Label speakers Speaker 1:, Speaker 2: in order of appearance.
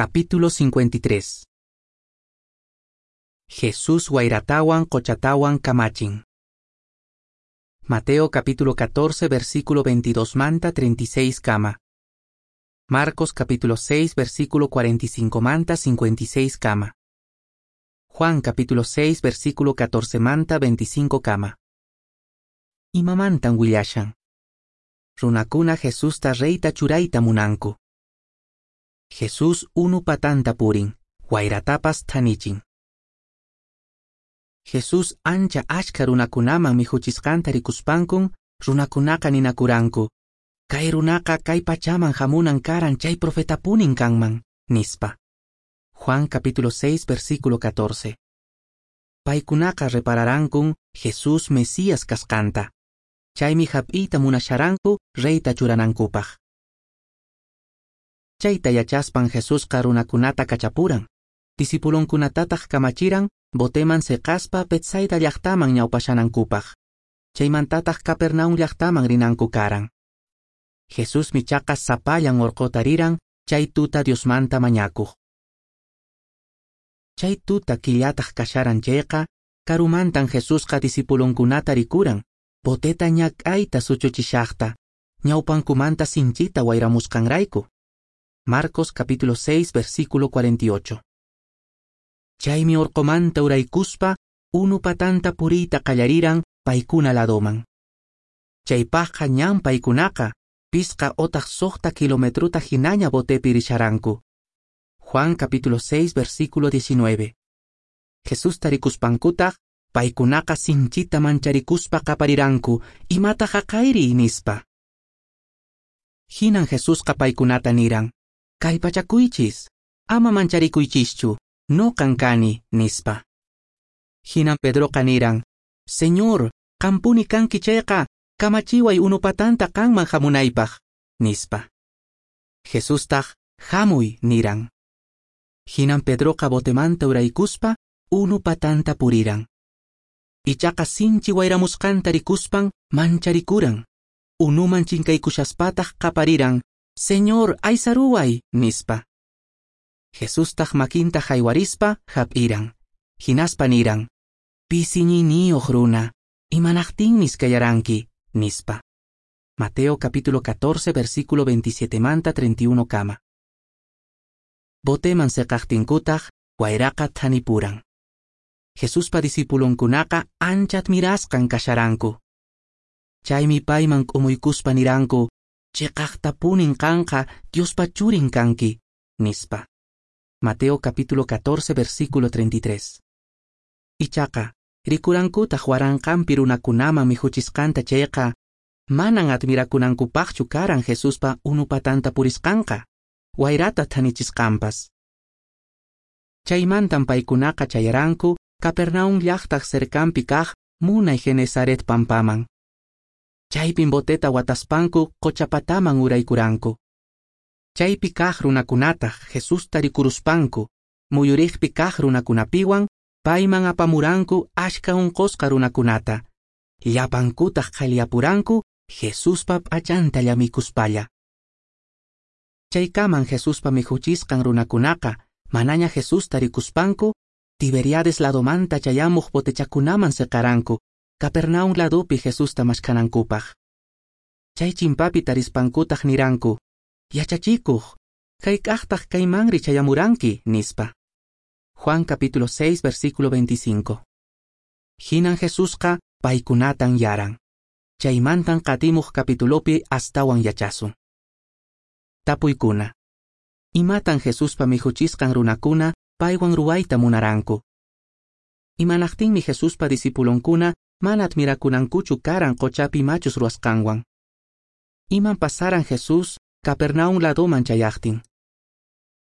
Speaker 1: Capítulo 53. Jesús wayratawan qochatawan kamachin. Mateo capítulo 14 versículo 22 manta 36 kama. Marcos capítulo 6 versículo 45 manta 56 kama. Juan capítulo 6 versículo 14 manta 25 kama. Imamantan willashan. Runakuna Jesusta reyta churayta munanku. Jesús unu patanta purin, wayratapas thanichin. Jesús ancha achka runakunaman mikhuchisqanta rikuspankun, runakunaqa ninakuranku, kay runaqa kay pachaman hamunan karan chay profetapunin kanman, nispa. Juan capítulo 6 versículo 14. Paykunaqa repararankun Jesús Mesías kasqanta. Chaymi hap'iyta munasharanku reyta churanankupaq. Chayta yachaspan Jesusqa runakunata kachapuran. Discipulonkunatataq kamachiran boteman seqaspa Betsaida llaqtaman ñawpashanankupaq. Chaymantataq Capernaum llaqtaman rinanku karan. Jesusmi chaqa sapallan urquta riran chay tuta Diosmanta mañakuq. Chay tuta killataq kasharan chayqa, karumantan Jesusqa discipulonkunata rikuran, boteta ñak'ayta suchuchishaqta, ñawpankumanta sinchita wayramusqanrayku. Marcos capítulo 6 versículo 48. Chaymi urqumanta uraykuspa unu patanta puriyta qallariran paykuna ladoman. Chaypaqqa ñan paykunaqa pisqa otaq 6 kilometruta hinaña botepi risharanku. Juan capítulo 6 versículo 19. Jesusta rikuspankutaq paykunaqa sinchita mancharikuspa qapariranku imataq haqayri nispa. Hinan Jesusqa paykunata niran, kallpachakuychis, ama mancharikuychischu, noqan kani, nispa. Hinan Pedroqa niran, Señor, qampuni kanki chayqa, kamachiway unupatanta qanman hamunaypaq, nispa. Jesustaq, hamuy, niran. Hinan Pedroqa botemanta uraykuspa, unupatanta puriran. Ichaqa sinchi wayramusqanta rikuspan mancharikuran. Unuman chinkaykushaspataq qapariran, Señor, aysaruway, nispa. Jesustaq makinta haywarispa hap'iran. Hinaspa niran, pisi iñiyniyuq runa, imanaqtinmi iskayaranki, nispa. Mateo capítulo 14 versículo 27 manta 31 kama. Boteman seqaqtinkutaq wayraqa thanipuran. Jesuspa discipulonkunaqa ancha admirasqan kasharanku. Chaymi payman k'umuykuspa niranku, chiqaqtapunin qanqa Diospa churin kanki, nispa. Mateo capítulo 14 versículo 33. Ichaqa, rikurankutaq waranqanpi runakunaman mikhuchisqanta chayqa, manan admirakunankupaqchu karan Jesuspa unupatanta purisqanqa, wayrata thanichisqanpas. Chaymantan paykunaqa chayaranku Capernaum llaqtaq cercanpi kaq munay Genesaret pampaman. Chaypin boteta wataspanku qochapataman uraykuranku. Chaypi kaq runakunataq Jesusta rikuruspanku, muyuriqpi kaq runakunapiwan payman apamuranku achka unqusqa runakunata. Llapankutaq qhaliyapuranku Jesuspa p'achanta llamikuspalla. Chaykaman Jesuspa mikhuchisqan runakunaqa manaña Jesusta rikuspanku, Tiberiades ladomanta chayamuq botechakunaman seqaranku, Capernaum ladopi Jesusta mashkanankupaq. Chay chimpapi tarispankutaq niranku, yachachikuq, hayk'aqtaq kaymanri chayamuranki, nispa. Juan capítulo 6 versículo 25. Hinan Jesusqa paykunatan yaran. Chaymantan qatimuq capitulopi astawan yachasun. Tapuykuna. Imatan Jesuspa mikhuchisqan runakuna paywan ruwayta munaranku? Imanaqtinmi Jesuspa discipulonkuna mana admirakunankuchu karan qochapi machus ruwasqanwan? Iman pasaran Jesús Capernaum ladoman chayaqtin?